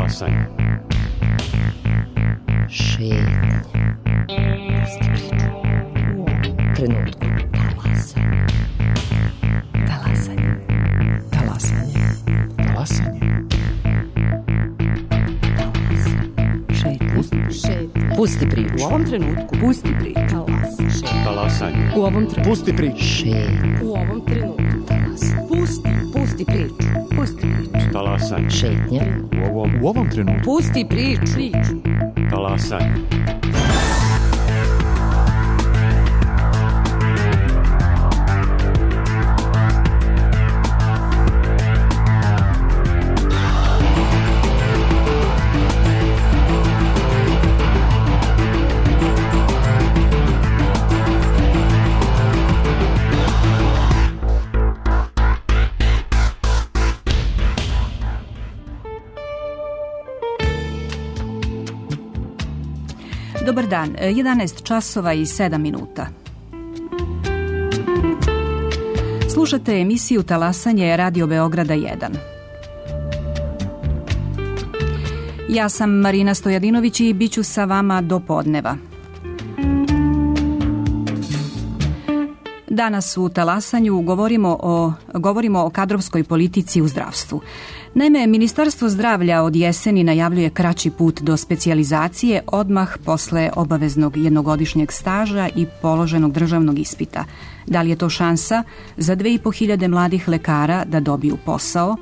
Talasanje. Šetnje. U trenutku. Talasanje. Talasanje. Talasanje. Talasanje. Šetnje. Pusti priču. U ovom trenutku. Pusti priču. Talasanje. U ovom trenutku. Pusti priču. Šetnje. U ovom trenutku. Pusti priču. Pusti priču. Talasanje. Šetnje. U ovom trenutku. Pusti priču. Talasanje. Dobar dan, 11 časova i 7 minuta. Slušate emisiju Talasanje Radio Beograda 1. Ja sam Marina Stojadinović i bit ću sa vama do podneva. Danas u Talasanju govorimo o kadrovskoj politici u zdravstvu. Naime, Ministarstvo zdravlja od jeseni najavljuje kraći put do specijalizacije odmah posle obaveznog jednogodišnjeg staža i položenog državnog ispita. Da li je to šansa za 2500 mladih lekara da dobiju posao,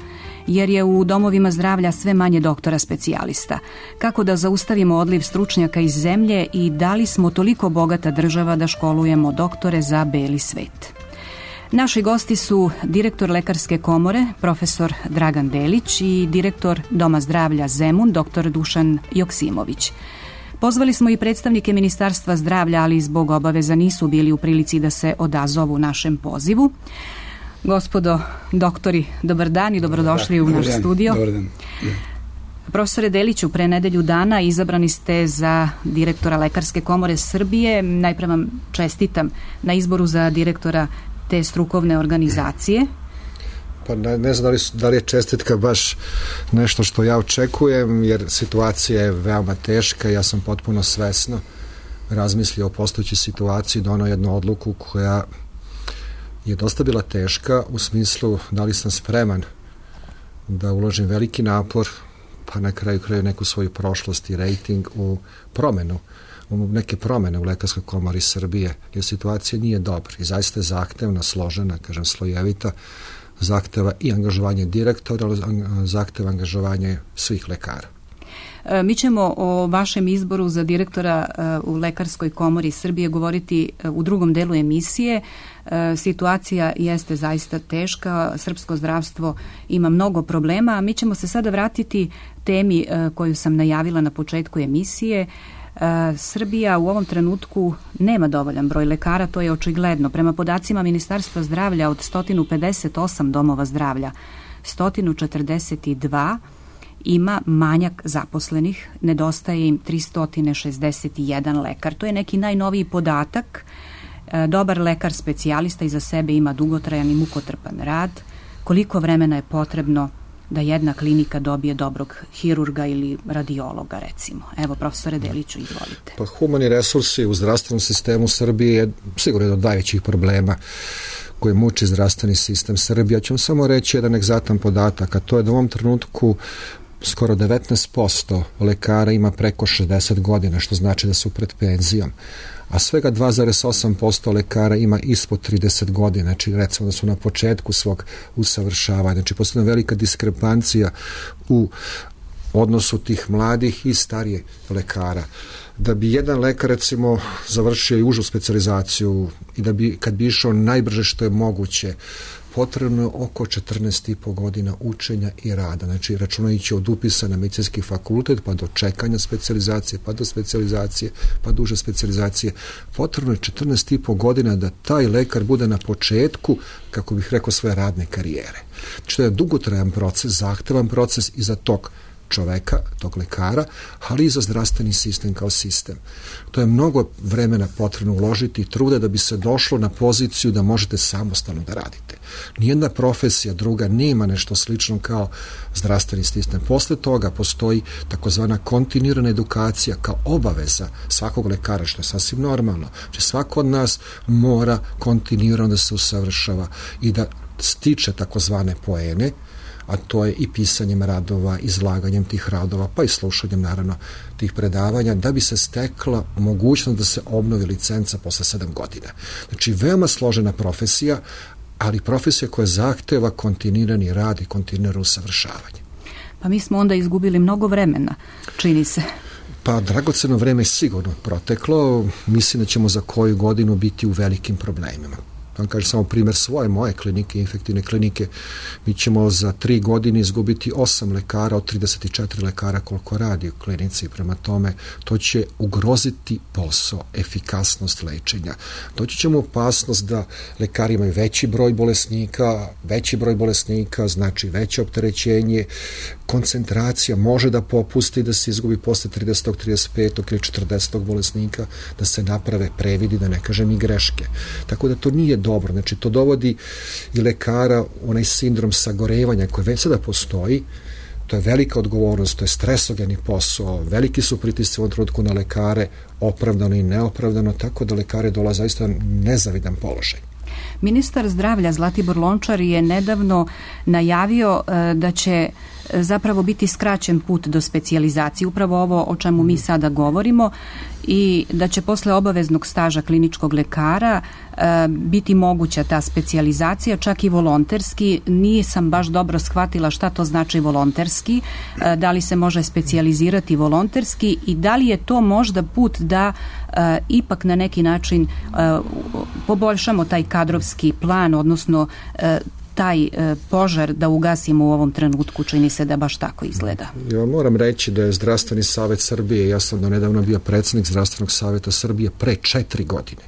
jer je u domovima zdravlja sve manje doktora specijalista? Kako da zaustavimo odliv stručnjaka iz zemlje i da li smo toliko bogata država da školujemo doktore za beli svet? Naši gosti su direktor Lekarske komore, profesor Dragan Delić i direktor Doma zdravlja Zemun, dr. Dušan Joksimović. Pozvali smo i predstavnike Ministarstva zdravlja, ali zbog obaveza nisu bili u prilici da se odazovu našem pozivu. Gospodo doktori, dobar dan i dobrodošli u naš studio. Dobar dan. Profesore Deliću, pre nedelju dana izabrani ste za direktora Lekarske komore Srbije. Najpre vam čestitam na izboru za direktora te strukovne organizacije. Pa ne znam da li je čestitka baš nešto što ja očekujem, jer situacija je veoma teška. Ja sam potpuno svesno razmislio o postojećoj situaciji, donao jednu odluku koja je dosta bila teška u smislu da li sam spreman da uložim veliki napor, pa na kraju neku svoju prošlost i rejting u neke promene u Lekarskoj komori Srbije, jer situacija nije dobra i zaista je zahtevna, složena, slojevita, zahteva i angažovanje direktora, zahteva angažovanje svih lekara. Mi ćemo o vašem izboru za direktora u Lekarskoj komori Srbije govoriti u drugom delu emisije. Situacija jeste zaista teška, srpsko zdravstvo ima mnogo problema, a mi ćemo se sada vratiti temi koju sam najavila na početku emisije. Srbija u ovom trenutku nema dovoljan broj lekara, to je očigledno. Prema podacima Ministarstva zdravlja od 158 domova zdravlja, 142 ima manjak zaposlenih, nedostaje im 361 lekar. To je neki najnoviji podatak. Dobar lekar specijalista iza sebe ima dugotrajan i mukotrpan rad. Koliko vremena je potrebno da jedna klinika dobije dobrog hirurga ili radiologa, recimo? Evo, profesore Deliću, izvolite. Pa humani resursi u zdravstvenom sistemu Srbije je sigurno jedan od najvećih problema koji muči zdravstveni sistem Srbije. Ja ću vam samo reći jedan egzaktan podatak, a to je da u ovom trenutku skoro 19% lekara ima preko 60 godina, što znači da su pred penzijom, a svega 2,8% lekara ima ispod 30 godina, znači recimo da su na početku svog usavršavanja. Znači postoji velika diskrepancija u odnosu tih mladih i starije lekara. Da bi jedan lekar recimo završio i užu specijalizaciju i da bi kad bi išao najbrže što je moguće, potrebno je oko 14,5 godina učenja i rada. Znači, računajući od upisa na medicinski fakultet, pa do čekanja specijalizacije, pa do specijalizacije, pa do uže specijalizacije, potrebno je 14,5 godina da taj lekar bude na početku, kako bih rekao, svoje radne karijere. Znači, to je dugotrajan proces, zahtevan proces i za tog čoveka, tog lekara, ali i za zdravstveni sistem kao sistem. To je mnogo vremena potrebno uložiti i truda da bi se došlo na poziciju da možete samostalno da radite. Nijedna profesija druga nema nešto slično kao zdravstveni sistem. Posle toga postoji takozvana kontinuirana edukacija kao obaveza svakog lekara, što je sasvim normalno. Znači svako od nas mora kontinuirano da se usavršava i da stiče takozvane poene, a to je i pisanjem radova, izlaganjem tih radova, pa i slušanjem naravno tih predavanja, da bi se stekla mogućnost da se obnovi licenca posle 7 godina. Znači, veoma složena profesija, ali profesija koja zahteva kontinuirani rad i kontinuirano usavršavanje. Pa mi smo onda izgubili mnogo vremena, čini se. Pa dragoceno vreme je sigurno proteklo, mislim da ćemo za koju godinu biti u velikim problemima. vam kažem samo primjer moje klinike, infektivne klinike, mi ćemo za 3 godine izgubiti 8 lekara od 34 lekara koliko radi u klinici. Prema tome, to će ugroziti posao, efikasnost lečenja. Doći ćemo u opasnost da lekari imaju veći broj bolesnika, znači veće opterećenje, koncentracija može da popusti, da se izgubi posle 30. 35. ili 40. bolesnika, da se naprave previdi, da ne kažem i greške. Tako da to nije dobro. Znači, to dovodi i lekara onaj sindrom sagorevanja koji već sada postoji. To je velika odgovornost, to je stresogeni posao, veliki su pritisci u ovom trenutku na lekare, opravdano i neopravdano, tako da lekare dolaze zaista nezavidan položaj. Ministar zdravlja Zlatibor Lončar je nedavno najavio da će zapravo biti skraćen put do specijalizacije, upravo ovo o čemu mi sada govorimo, i da će posle obaveznog staža kliničkog lekara biti moguća ta specijalizacija, čak i volonterski. Nisam baš dobro shvatila šta to znači volonterski, da li se može specijalizirati volonterski i da li je to možda put da ipak na neki način poboljšamo taj kadrovski plan, odnosno taj požar da ugasimo u ovom trenutku, čini se da baš tako izgleda. Ja moram reći da je Zdravstveni savjet Srbije, ja sam nedavno bio predsjednik Zdravstvenog savjeta Srbije, pre 4 godine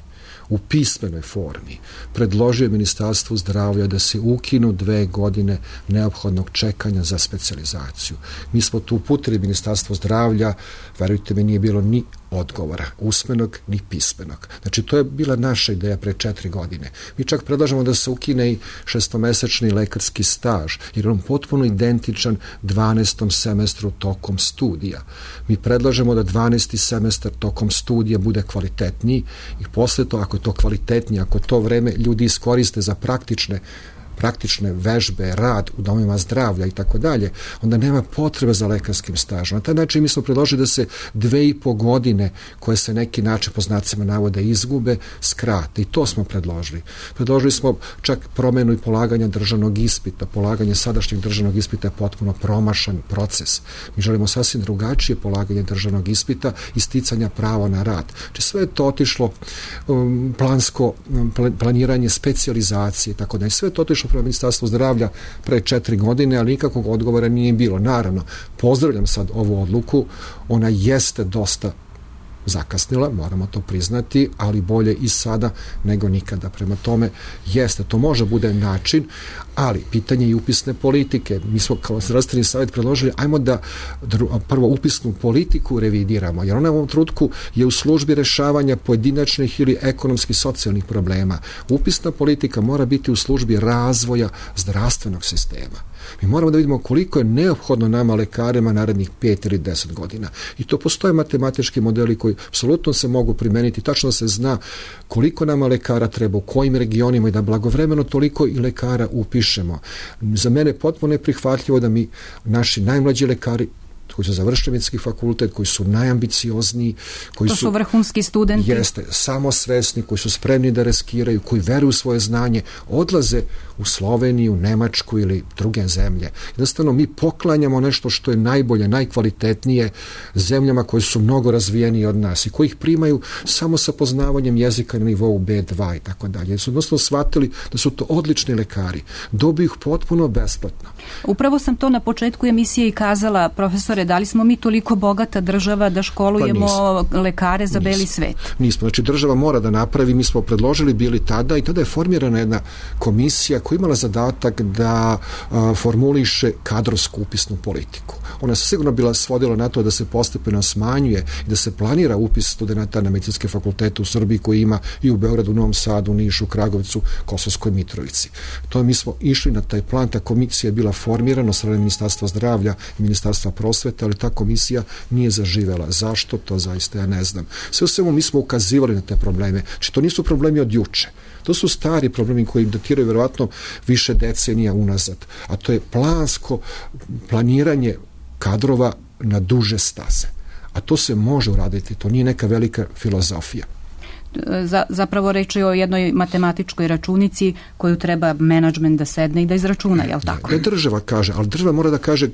u pismenoj formi predložio Ministarstvu zdravlja da se ukinu 2 godine neophodnog čekanja za specijalizaciju. Mi smo tu uputili Ministarstvo zdravlja, verujte mi, nije bilo ni odgovora, usmenog ni pismenog. Znači, to je bila naša ideja pre 4 godine. Mi čak predlažemo da se ukine i 6-mesečni lekarski staž, jer on potpuno identičan 12. semestru tokom studija. Mi predlažemo da 12. semestar tokom studija bude kvalitetniji i posle to, ako je to kvalitetnije, ako to vreme ljudi iskoriste za praktične vežbe, rad u domovima zdravlja i tako dalje, onda nema potrebe za lekarskim stažom. Na taj način mi smo predložili da se 2,5 godine koje se neki način po znacima navode izgube, skrate. I to smo predložili. Predložili smo čak promenu i polaganja državnog ispita. Polaganje sadašnjeg državnog ispita je potpuno promašan proces. Mi želimo sasvim drugačije polaganje državnog ispita i sticanja prava na rad. Znači, sve je to otišlo planiranje specijalizacije i tako da. I sve je to otišlo prema Ministarstvu zdravlja pre 4 godine, ali nikakvog odgovora nije bilo. Naravno, pozdravljam sad ovu odluku, ona jeste dosta zakasnila, moramo to priznati, ali bolje i sada nego nikada. Prema tome, jeste, to može bude način, ali pitanje je i upisne politike. Mi smo kao Zdravstveni savjet predložili, ajmo da prvo upisnu politiku revidiramo, jer ona u ovom trenutku je u službi rešavanja pojedinačnih ili ekonomskih socijalnih problema. Upisna politika mora biti u službi razvoja zdravstvenog sistema. Mi moramo da vidimo koliko je neophodno nama lekarima narednih 5 ili 10 godina. I to postoje matematički modeli koji apsolutno se mogu primeniti. Tačno se zna koliko nama lekara treba, u kojim regionima i da blagovremeno toliko i lekara upišemo. Za mene je potpuno neprihvatljivo da mi naši najmlađi lekari koji su završili medicinski fakultet, koji su najambiciozniji, koji su vrhunski studenti. Jeste, samosvesni, koji su spremni da riskiraju, koji veruju u svoje znanje, odlaze u Sloveniju, Nemačku ili druge zemlje. Jednostavno, mi poklanjamo nešto što je najbolje, najkvalitetnije zemljama koje su mnogo razvijenije od nas i koji ih primaju samo sa poznavanjem jezika na nivou B2 i tako dalje. Jer su jednostavno shvatili da su to odlični lekari. Dobiju ih potpuno besplatno. Upravo sam to na početku emisije i kazala, profesore, Da li smo mi toliko bogata država da školujemo lekare za beli svet? Nismo. Znači, država mora da napravi, mi smo predložili bili tada i tada je formirana jedna komisija koja imala zadatak da formuliše kadrovsku upisnu politiku. Ona se sigurno bila svodila na to da se postepeno smanjuje i da se planira upis studenata na medicinske fakultete u Srbiji koji ima i u Beogradu, Novom Sadu, Nišu, Kragovicu, Kosovskoj Mitrovici. To mi smo išli na taj plan, ta komisija je bila formirana od strane Ministarstva zdravlja i Ministarstva prosvete, ali ta komisija nije zaživela. Zašto? To zaista ja ne znam. Sve u svemu mi smo ukazivali na te probleme. Znači, to nisu problemi od juče. To su stari problemi koji datiraju vjerovatno više decenija unazad. A to je planiranje kadrova na duže staze. A to se može uraditi. To nije neka velika filozofija. Zapravo reč je o jednoj matematičkoj računici koju treba menadžment da sedne i da izračuna, je li tako? Ne država kaže, ali država mora da kaže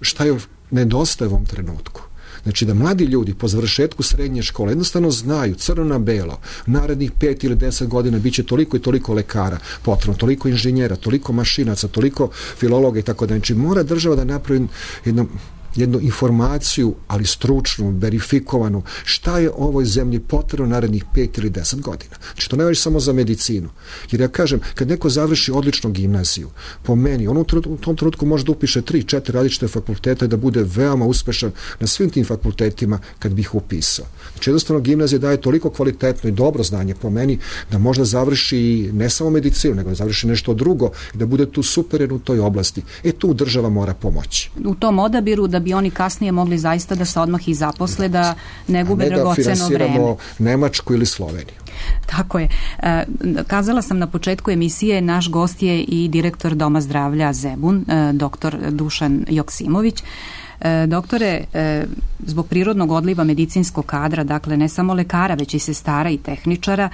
šta je nedostaje u ovom trenutku. Znači da mladi ljudi po završetku srednje škole jednostavno znaju crno na belo, narednih 5 ili 10 godina biće toliko i toliko lekara potrebno, toliko inženjera, toliko mašinaca, toliko filologa i tako da. Znači mora država da napravi jednu informaciju, ali stručnu, verifikovanu, šta je ovoj zemlji potrebno narednih 5 ili 10 godina. Znači, to ne važi samo za medicinu. Jer ja kažem, kad neko završi odličnu gimnaziju, po meni, on u tom trenutku može da upiše 3-4 različite fakulteta i da bude veoma uspešan na svim tim fakultetima kad bi ih upisao. Znači, jednostavno, gimnazija daje toliko kvalitetno i dobro znanje po meni da možda završi ne samo medicinu, nego da završi nešto drugo i da bude tu superen u toj oblasti. Tu država mora pomoći. U tom odabiru da bi oni kasnije mogli zaista da se odmah i zaposle, da ne gube dragoceno vreme. Ne da finansiramo Nemačku ili Sloveniju. Tako je. Kazala sam na početku emisije, naš gost je i direktor Doma zdravlja Zemun, doktor Dušan Joksimović. Doktore, zbog prirodnog odliva medicinskog kadra, dakle ne samo lekara, već i sestara i tehničara,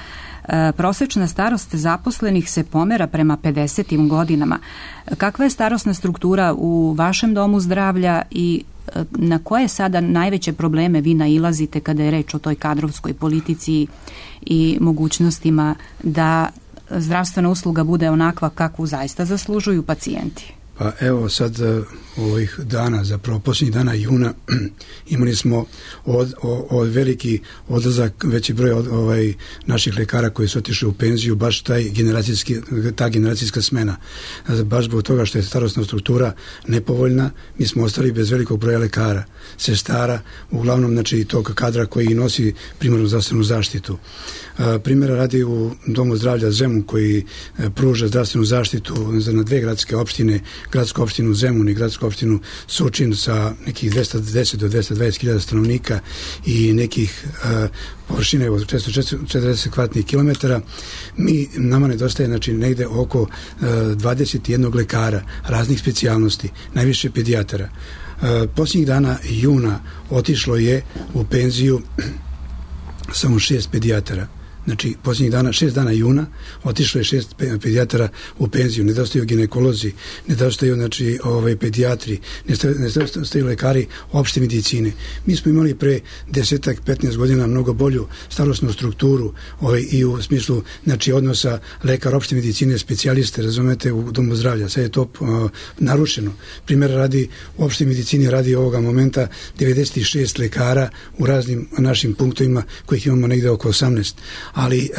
prosečna starost zaposlenih se pomera prema 50. godinama. Kakva je starosna struktura u vašem domu zdravlja i na koje sada najveće probleme vi nailazite kada je reč o toj kadrovskoj politici i mogućnostima da zdravstvena usluga bude onakva kakvu zaista zaslužuju pacijenti? Pa evo sad ovih dana, zapravo posljednjih dana juna imali smo veliki odlazak, veći broj naših lekara koji su otišli u penziju, baš ta generacijska smena. Baš zbog toga što je starosna struktura nepovoljna, mi smo ostali bez velikog broja lekara, sestara, uglavnom znači tog kadra koji nosi primarnu zdravstvenu zaštitu. Primjera radi u Domu zdravlja Zemun koji pruža zdravstvenu zaštitu na dve gradske opštine, gradsku opštinu Zemun i gradsku opštinu Surčin sa nekih 210 do 220.000 stanovnika i nekih površine od 440 kvadratnih kilometara. Nama nedostaje znači negde oko 21 lekara raznih specijalnosti, najviše pedijatara. Posljednjih dana juna otišlo je u penziju samo 6 pedijatara. Znači, posljednjih dana, 6 dana juna, otišlo je 6 pedijatara u penziju, nedostaju ginekolozi, nedostaju, znači, pedijatri, nedostaju lekari opšte medicine. Mi smo imali pre 10-15 godina mnogo bolju starosnu strukturu i u smislu, znači, odnosa lekar opšte medicine, specijaliste, razumete, u Domu zdravlja. Sad je to narušeno. Primjer radi, u opšte medicini radi ovoga momenta 96 lekara u raznim našim punktovima, kojih imamo negde oko 18. Ali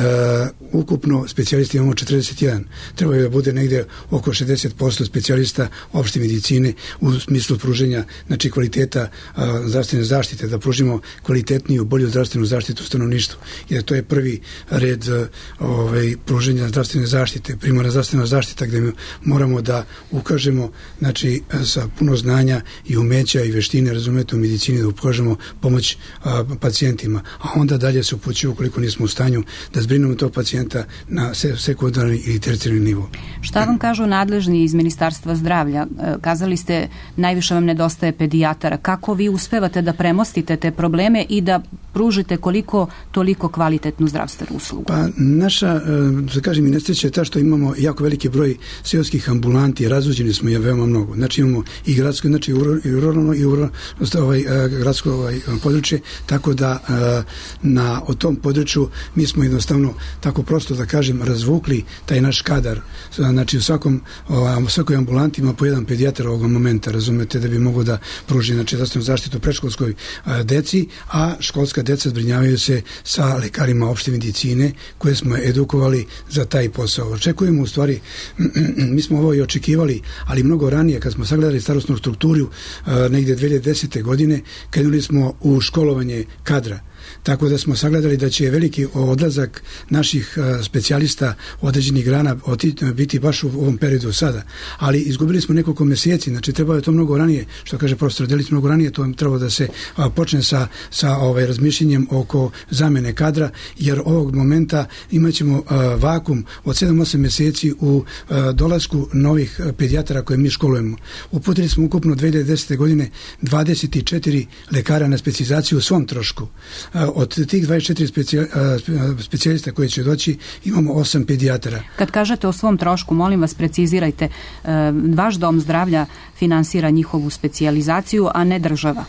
ukupno specijalisti imamo 41. Treba da bude negde oko 60% specijalista opšte medicine u smislu pruženja, znači kvaliteta zdravstvene zaštite, da pružimo kvalitetniju, bolju zdravstvenu zaštitu stanovništvu. Jer to je prvi red pruženja zdravstvene zaštite, primarna zdravstvena zaštita gde moramo da ukažemo, znači sa puno znanja i umeća i veštine, razumete, u medicini da ukažemo pomoć pacijentima, a onda dalje se upućuje ukoliko nismo u stanju da zbrinemo tog pacijenta na sekundarni i tercijarni nivo. Šta vam kažu nadležni iz Ministarstva zdravlja? Kazali ste, najviše vam nedostaje pedijatara. Kako vi uspevate da premostite te probleme i da pružite koliko toliko kvalitetnu zdravstvenu uslugu? Pa naša, da kažem, i nesreća je ta što imamo jako veliki broj seoskih ambulanti, razvođeni smo je veoma mnogo. Znači imamo i gradsko, znači i ruralno i gradsko područje, tako da na tom području mi smo smo jednostavno, tako prosto da kažem, razvukli taj naš kadar. Znači u svakoj ambulanti ima po jedan pedijatar ovog momenta, razumete, da bi mogo da pruži zdravstvenu zaštitu predškolskoj deci, a školska deca zbrinjavaju se sa lekarima opšte medicine koje smo edukovali za taj posao. Očekujemo u stvari, mi smo ovo i očekivali, ali mnogo ranije kad smo sagledali starosnu strukturu negdje 2010. godine, krenuli smo u školovanje kadra. Tako da smo sagledali da će veliki odlazak naših specijalista određenih grana biti baš u ovom periodu sada. Ali izgubili smo nekoliko mjeseci, znači trebalo je to mnogo ranije, što kaže profesor Delić, mnogo ranije to trebalo da se počne sa razmišljenjem oko zamene kadra, jer ovog momenta imat ćemo vakum od 7-8 mjeseci u dolasku novih pedijatara koje mi školujemo. Uputili smo ukupno 2010. godine 24 lekara na specijalizaciju u svom trošku. Od tih 24 specijalista koji će doći imamo 8 pedijatara. Kad kažete o svom trošku, molim vas precizirajte, vaš dom zdravlja finansira njihovu specijalizaciju, a ne država.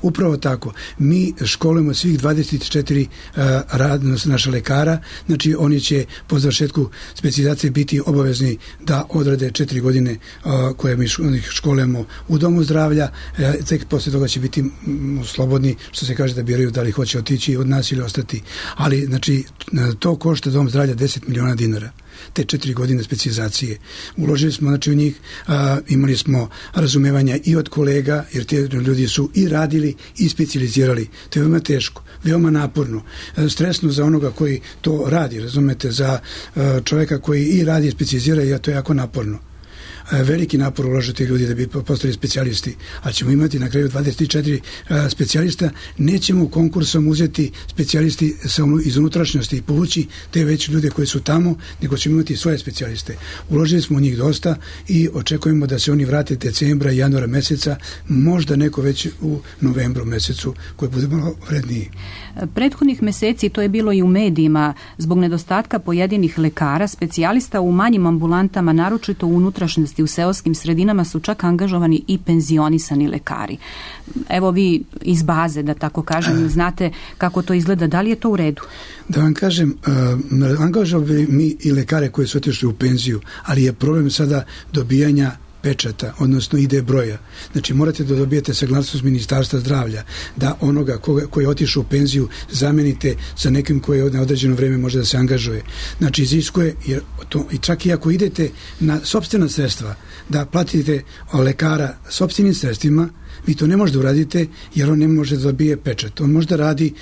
Upravo tako. Mi školujemo svih 24 naša lekara, znači oni će po završetku specijalizacije biti obavezni da odrade 4 godine koje mi školujemo u domu zdravlja, tek posle toga će biti slobodni, što se kaže, da biraju da li hoće otići od nas ili ostati. Ali, znači, to košta dom zdravlja 10 miliona dinara. Te 4 godine specijalizacije. Uložili smo, znači, u njih, imali smo razumevanja i od kolega, jer te ljudi su i radili i specijalizirali. To je veoma teško, veoma naporno, stresno za onoga koji to radi, razumete, za čovjeka koji i radi i specijalizira, a to je jako naporno. Veliki napor ulažu ti ljudi da bi postali specijalisti, a ćemo imati na kraju 24 specijalista. Nećemo konkursom uzeti specijalisti iz unutrašnjosti i povući te već ljude koji su tamo, nego ćemo imati svoje specijaliste. Uložili smo u njih dosta i očekujemo da se oni vrate decembra i januara meseca, možda neko već u novembru mesecu, koji bude malo vredniji. Prethodnih meseci, to je bilo i u medijima, zbog nedostatka pojedinih lekara, specijalista u manjim ambulantama, naročito u unutrašnjosti, u seoskim sredinama, su čak angažovani i penzionisani lekari. Evo vi iz baze, da tako kažem, znate kako to izgleda, da li je to u redu? Da vam kažem, angažovali mi i lekare koji su otišli u penziju, ali je problem sada dobijanja pečata, odnosno ID broja. Znači morate da dobijete saglasnost Ministarstva zdravlja, da onoga koji je otišao u penziju zamenite sa nekim koji na određeno vreme može da se angažuje. Znači iziskuje, jer to, i čak i ako idete na sopstvena sredstva, da platite lekara sopstvenim sredstvima, vi to ne možete uraditi jer on ne može da dobije pečat. On može da radi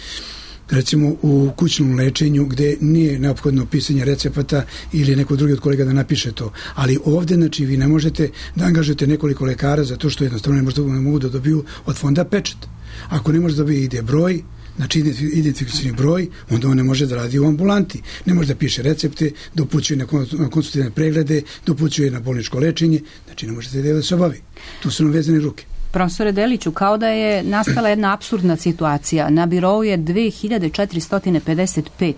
recimo u kućnom lečenju gdje nije neophodno pisanje recepata ili neko drugi od kolega da napiše to. Ali ovdje, znači, vi ne možete da angažujete nekoliko lekara zato što jednostavno ne mogu da dobiju od fonda pečat. Ako ne može da dobije ID broj, znači identifikacioni broj, onda on ne može da radi u ambulanti. Ne može da piše recepte, da upućuje na konsultativne preglede, da upućuje na bolničko lečenje, znači ne može da se obavi. Tu su nam vezane ruke. Profesore Deliću, kao da je nastala jedna apsurdna situacija. Na birou je 2455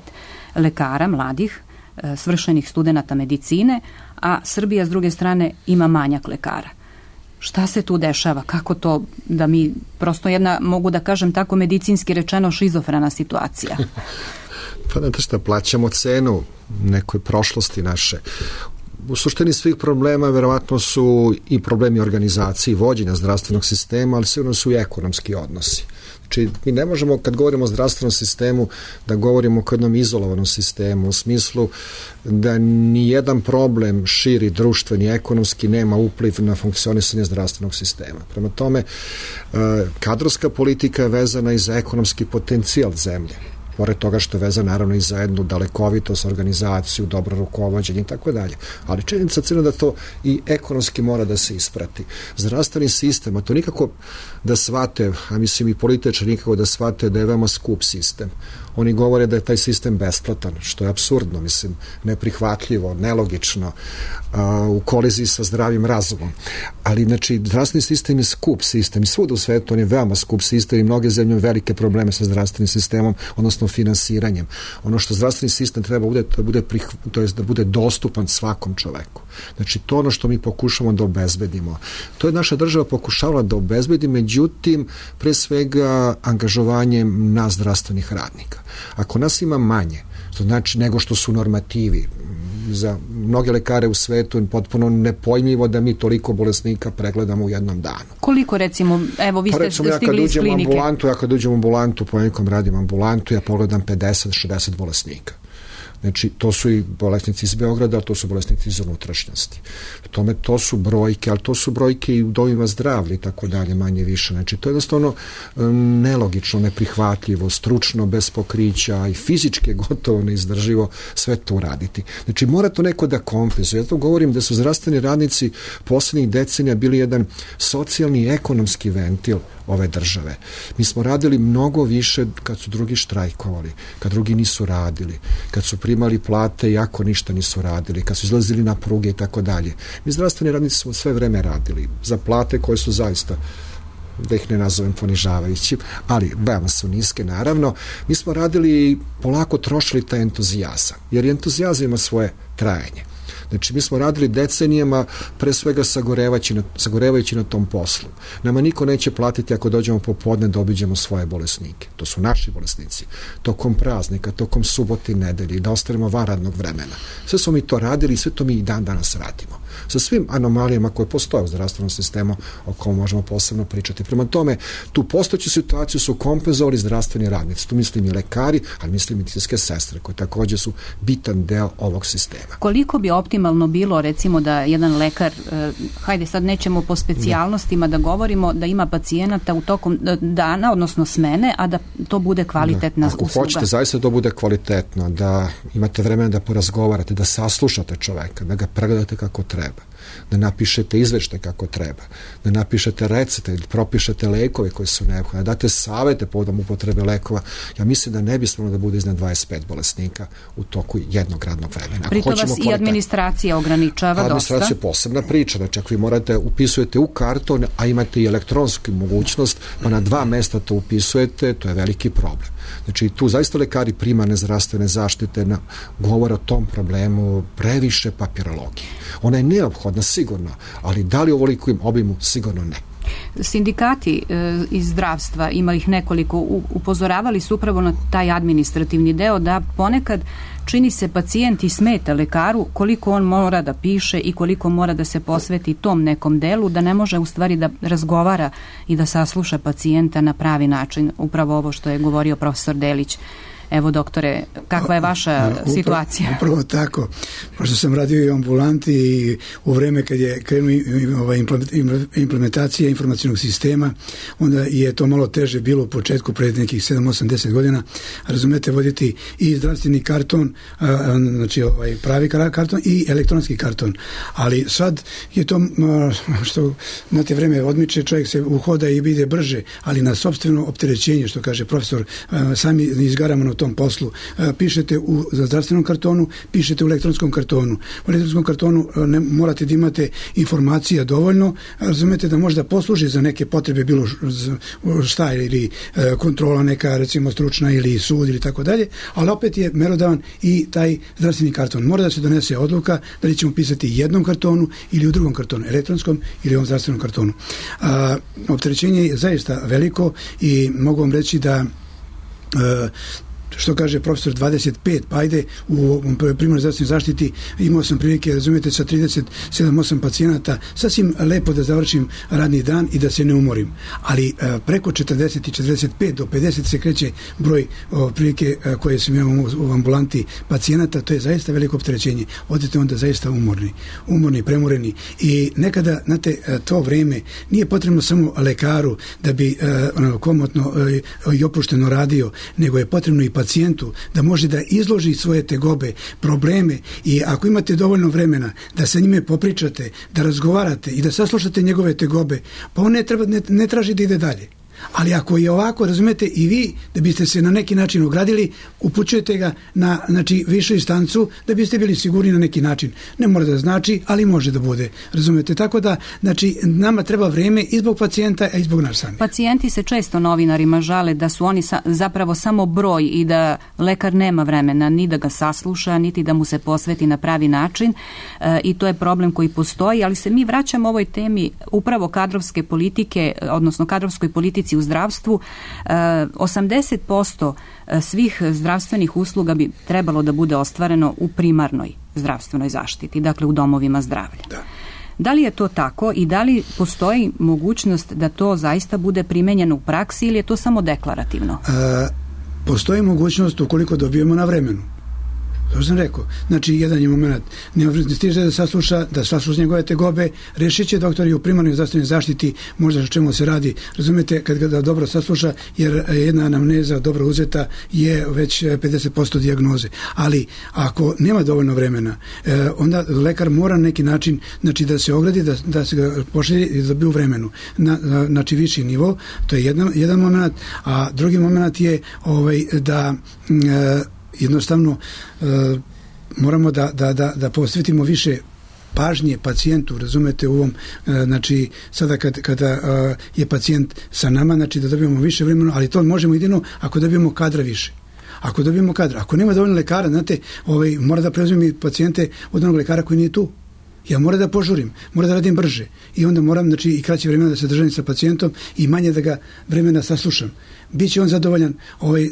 lekara mladih, svršenih studenata medicine, a Srbija s druge strane ima manjak lekara. Šta se tu dešava? Kako to da mi, prosto jedna, mogu da kažem tako medicinski rečeno, šizofrena situacija? Pa znate šta, plaćamo cenu nekoj prošlosti naše. U suštini svih problema verovatno su i problemi organizacije i vođenja zdravstvenog sistema, ali sigurno su i ekonomski odnosi. Znači, mi ne možemo, kad govorimo o zdravstvenom sistemu, da govorimo o jednom izolovanom sistemu, u smislu da ni jedan problem širi društveni, ekonomski nema upliv na funkcionisanje zdravstvenog sistema. Prema tome, kadrovska politika je vezana i za ekonomski potencijal zemlje. Pored toga što je vezan naravno i za jednu dalekovitost, organizaciju, dobro rukovođenje i tako dalje. Ali činjenica cijela da to i ekonomski mora da se isprati. Zdravstveni sistem, a to nikako da shvate, a mislim i političari nikako da shvate da je veoma skup sistem. Oni govore da je taj sistem besplatan, što je apsurdno, mislim, neprihvatljivo, nelogično, u koliziji sa zdravim razumom. Ali, znači, zdravstveni sistem je skup sistem i svuda u svetu on je veoma skup sistem i mnoge zemlje imaju velike probleme sa zdravstvenim sistemom, odnosno finansiranjem. Ono što zdravstveni sistem treba da bude dostupan svakom čoveku. Znači, to ono što mi pokušamo da obezbedimo. To je naša država pokušavala da obezbedi, međutim, pre svega angažovanjem nas zdravstvenih radnika. Ako nas ima manje, To znači nego što su normativi. Za mnoge lekare u svetu je potpuno nepojmljivo da mi toliko bolesnika pregledamo u jednom danu. Koliko recimo, evo vi ste stigli iz klinike? Ja kad uđem u ambulantu, ponekad radim ambulantu, ja pogledam 50-60 bolesnika. Znači, to su i bolesnici iz Beograda, ali to su bolesnici iz unutrašnjosti. Tome, to su brojke, ali to su brojke i u domima zdravlja i tako dalje, manje više. Znači, to je jednostavno nelogično, neprihvatljivo, stručno, bez pokrića i fizički gotovo neizdrživo sve to uraditi. Znači, mora to neko da kompenzuje. Ja to govorim da su zdravstveni radnici poslednjih decenija bili jedan socijalni i ekonomski ventil ove države. Mi smo radili mnogo više kad su drugi štrajkovali, kad drugi nisu radili, kad su primali plate iako ništa nisu radili, kad su izlazili na pruge i tako dalje. Mi zdravstveni radnici smo sve vreme radili za plate koje su zaista, da ih ne nazovem ponižavajućim, ali veoma su niske naravno. Mi smo radili i polako trošili taj entuzijazam, jer entuzijazam ima svoje trajanje. Znači, mi smo radili decenijama pre svega sagorevajući na tom poslu. Nama niko neće platiti ako dođemo popodne da obiđemo svoje bolesnike. To su naši bolesnici. Tokom praznika, tokom subote i nedelje, da ostanemo van radnog vremena. Sve smo mi to radili i sve to mi i dan danas radimo. Sa svim anomalijama koje postoje u zdravstvenom sistemu o kom možemo posebno pričati. Prema tome, tu postojeću situaciju su kompenzovali zdravstveni radnici. Tu mislim i lekari, ali mislim i medicinske sestre, koje takođe su bitan deo ovog sistema. Koliko bi optimalno bilo, recimo, da jedan lekar, hajde sad nećemo po specijalnostima da govorimo, da ima pacijenata u tokom dana, odnosno smene, a da to bude kvalitetna usluga? Ako hoćete zaista da bude kvalitetno, da imate vremena da porazgovarate, da saslušate čoveka, da ga pregledate kako treba, da napišete izveštaj kako treba, da napišete recepte ili propišete lekove koji su neophodni, da date savete povodom upotrebe lekova, ja mislim da ne bi smelo da bude iznad 25 bolesnika u toku jednog radnog vremena. Pritom vas i administracija ograničava dosta. Administracija je posebna priča, znači ako vi morate, upisujete u karton, a imate i elektronsku mogućnost, pa na 2 mesta to upisujete, to je veliki problem. Znači, tu zaista lekari primarne zdravstvene zaštite govore o tom problemu previše papirologije. Ona je neophodna sigurno, ali da li u ovolikom obimu? Sigurno ne. Sindikati iz zdravstva, ima ih nekoliko, upozoravali su upravo na taj administrativni deo, da ponekad čini se pacijent i smeta lekaru koliko on mora da piše i koliko mora da se posveti tom nekom delu, da ne može u stvari da razgovara i da sasluša pacijenta na pravi način. Upravo ovo što je govorio profesor Delić. Evo, doktore, kakva je vaša situacija? Upravo tako. Pošto sam radio i u ambulanti i u vreme kad je krenuo implementacija informacijnog sistema, onda je to malo teže bilo u početku, pred nekih 7-8-10 godina. Razumete, voditi i zdravstveni karton, znači pravi karton i elektronski karton. Ali sad je to, što na te vreme odmiče, čovjek se uhoda i ide brže, ali na sopstveno opterećenje, što kaže profesor, sami izgaramo na tom poslu. Pišete za zdravstvenom kartonu, pišete u elektronskom kartonu. U elektronskom kartonu morate da imate informacija dovoljno, razumete, da možda posluži za neke potrebe, bilo šta, ili kontrola neka, recimo stručna, ili sud, ili tako dalje, ali opet je merodavan i taj zdravstveni karton. Mora da se donese odluka da li ćemo pisati jednom kartonu ili u drugom kartonu, elektronskom ili ovom zdravstvenom kartonu. Opterećenje je zaista veliko i mogu vam reći da što kaže profesor 25, pa ajde u primarnoj zdravstvenoj zaštiti imao sam prilike, razumijete, sa 37-8 pacijenata sasvim lepo da završim radni dan i da se ne umorim, ali preko 40 i 45 do 50 se kreće broj prilike koje sam imao u ambulanti pacijenata, to je zaista veliko opterećenje. Odete onda zaista umorni, premoreni i nekada, znate, to vreme nije potrebno samo lekaru da bi komotno i opušteno radio, nego je potrebno i pacijentu da može da izloži svoje tegobe, probleme, i ako imate dovoljno vremena da sa njime popričate, da razgovarate i da saslušate njegove tegobe, pa on ne traži da ide dalje. Ali ako je ovako, razumete, i vi da biste se na neki način ogradili, upućujete ga na, znači, višu instancu da biste bili sigurni na neki način. Ne mora da znači, ali može da bude. Razumete? Tako da, znači, nama treba vreme i zbog pacijenta, a i zbog nas sami. Pacijenti se često novinarima žale da su oni zapravo samo broj i da lekar nema vremena ni da ga sasluša, niti da mu se posveti na pravi način, i to je problem koji postoji, ali se mi vraćamo ovoj temi upravo kadrovske politike, odnosno kadrovskoj politici politici u zdravstvu, 80% svih zdravstvenih usluga bi trebalo da bude ostvareno u primarnoj zdravstvenoj zaštiti, dakle u domovima zdravlja. Da li je to tako i da li postoji mogućnost da to zaista bude primenjeno u praksi ili je to samo deklarativno? Postoji mogućnost ukoliko dobijemo na vremenu. To sam rekao. Znači, jedan je moment, ne stiže da sasluša njegove tegobe, rešit će doktori u primarnoj zdravstvenoj zaštiti možda o čemu se radi. Razumete, kad ga dobro sasluša, jer jedna anamneza dobro uzeta je već 50% dijagnoze. Ali, ako nema dovoljno vremena, onda lekar mora na neki način, znači, da se ogradi, da se ga pošalje i da dobije u vremenu. Znači, viši nivo, to je jedan moment, a drugi moment je da jednostavno moramo da posvetimo više pažnje pacijentu, razumete, u ovom, znači, sada kada je pacijent sa nama, znači da dobijemo više vremena, ali to možemo jedino ako dobijemo kadra više. Ako nema dovoljno lekara, znate, mora da preuzmem i pacijente od onog lekara koji nije tu. Ja moram da požurim, moram da radim brže i onda moram, znači, i kraće vremena da se držim sa pacijentom i manje da ga vremena saslušam. Biće on zadovoljan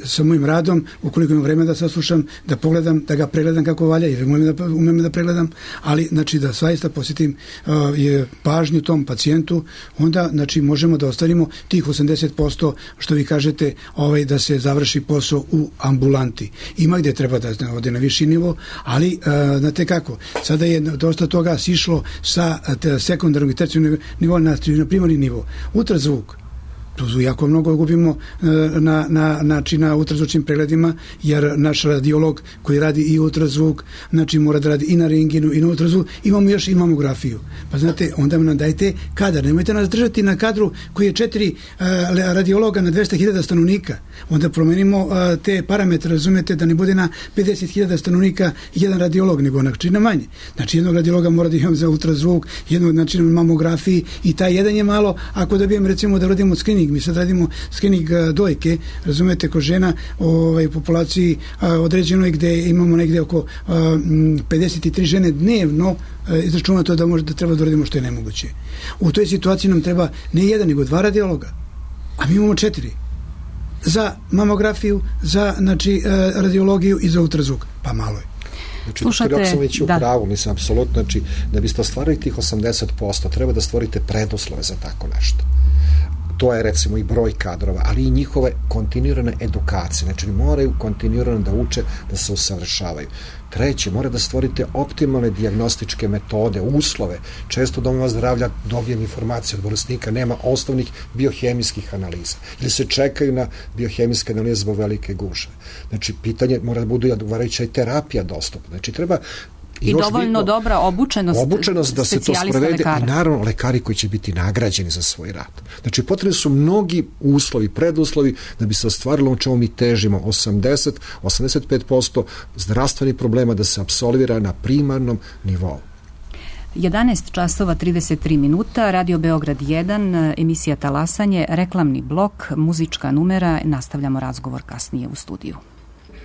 sa mojim radom, ukoliko imam vremena da saslušam, da pogledam, da ga pregledam kako valja, jer umem da pregledam, ali, znači, da zaista posjetim pažnju tom pacijentu, onda, znači, možemo da ostavimo tih 80%, što vi kažete, da se završi posao u ambulanti. Ima gde treba da ode na viši nivo, ali, znate kako, sada je dosta toga sišlo sa sekundarnog i tercijarnog nivoa na primarni nivo. Ultrazvuk. Tu jako mnogo gubimo na ultrazvučnim pregledima, jer naš radiolog koji radi i ultrazvuk, znači mora da radi i na rengenu i na ultrazvuk, imamo još i mamografiju. Pa znate, onda nam dajte kadar, nemojte nas držati na kadru koji je 4 radiologa na 200.000 stanovnika. Onda promenimo te parametre, razumete, da ne bude na 50.000 stanovnika jedan radiolog, nego na manje. Znači, jednog radiologa mora da imam za ultrazvuk, jednog, znači, na mamografiji, i taj jedan je malo, ako dobijem, recimo, da radimo screening, mi sad radimo screening dojke, razumete, kod žena u populaciji određenoj gde imamo negde oko 53 žene dnevno, izračunato da treba da radimo što je nemoguće. U toj situaciji nam treba ne jedan, nego 2 radiologa, a mi imamo 4 za mamografiju, za, znači, radiologiju i za ultrazvuk, pa malo je. Znači, dok sam već u pravu, mislim, apsolutno, znači, da biste ostvarili tih 80%, treba da stvorite preduslove za tako nešto. To je, recimo, i broj kadrova, ali i njihove kontinuirane edukacije. Znači, moraju kontinuirano da uče, da se usavršavaju. Treće, mora da stvorite optimalne dijagnostičke metode, uslove. Često u domova zdravlja dobijem informacije od bolesnika, nema osnovnih biohemijskih analiza. Ili se čekaju na biohemijske analize zbog velike gužve. Znači, pitanje mora da budu i odgovarajuća i terapija dostupna. Znači, treba i dovoljno dobra obučenost da se to sprovede i naravno lekari koji će biti nagrađeni za svoj rad. Znači, potrebni su mnogi uslovi, preduslovi da bi se ostvarilo o čemu mi težimo, 85% zdravstvenih problema da se apsolvira na primarnom nivou. 11 časova 33 minuta, Radio Beograd 1, emisija Talasanje, reklamni blok, muzička numera, nastavljamo razgovor kasnije u studiju.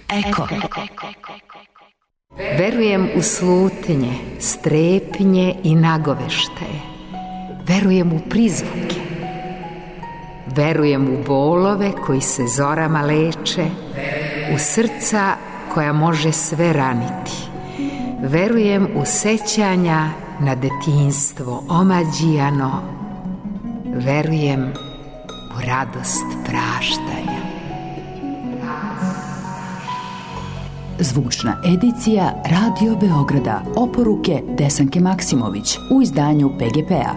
Eko. Verujem u slutnje, strepnje i nagoveštaje. Verujem u prizvuke. Verujem u bolove koji se zorama leče, u srca koja može sve raniti. Verujem u sećanja na detinjstvo omađijano. Verujem u radost praštanja. Zvučna edicija Radio Beograda. Oporuke Desanke Maksimović u izdanju PGP-a.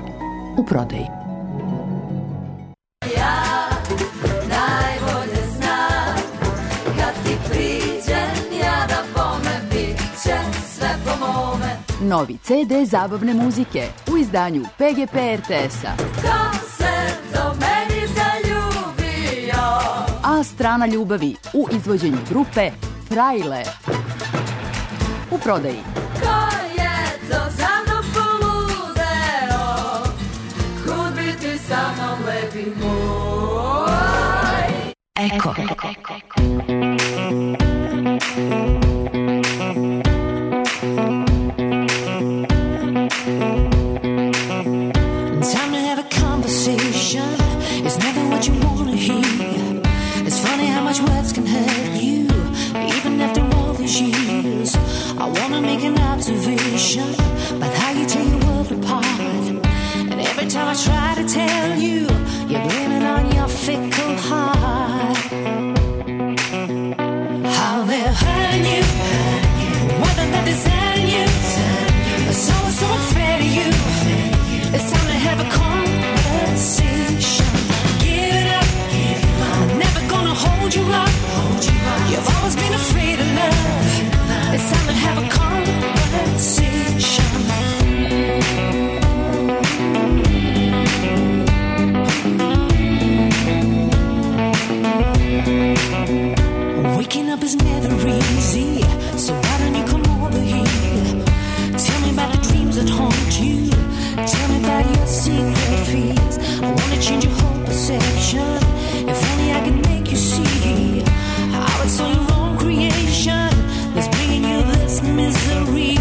U prodaji. Ja najbolje znam kad ti priđem ja da bome bit će sve po mome. Novi CD zabavne muzike u izdanju PGP RTS-a. Ko se do meni zaljubio? A strana ljubavi u izvođenju grupe Frajle. U prodaji. Ko je to za mnom poludeo? Kud bi ti sa mnom lepi moj? Eko. Time to have a conversation. It's never what you want. Every time I try to tell you, you're blaming on your fickle heart. How they're hurting you, more than they're deserting you. So unfair to you. It's time to have a conversation. Give it up. I'm never gonna hold you up. You've always been afraid of love. It's time to have a conversation. Waking up is never easy, so why don't you come over here? Tell me about the dreams that haunt you. Tell me about your secret fears. I wanna change your whole perception. If only I could make you see how it's all your own creation that's bringing you this misery.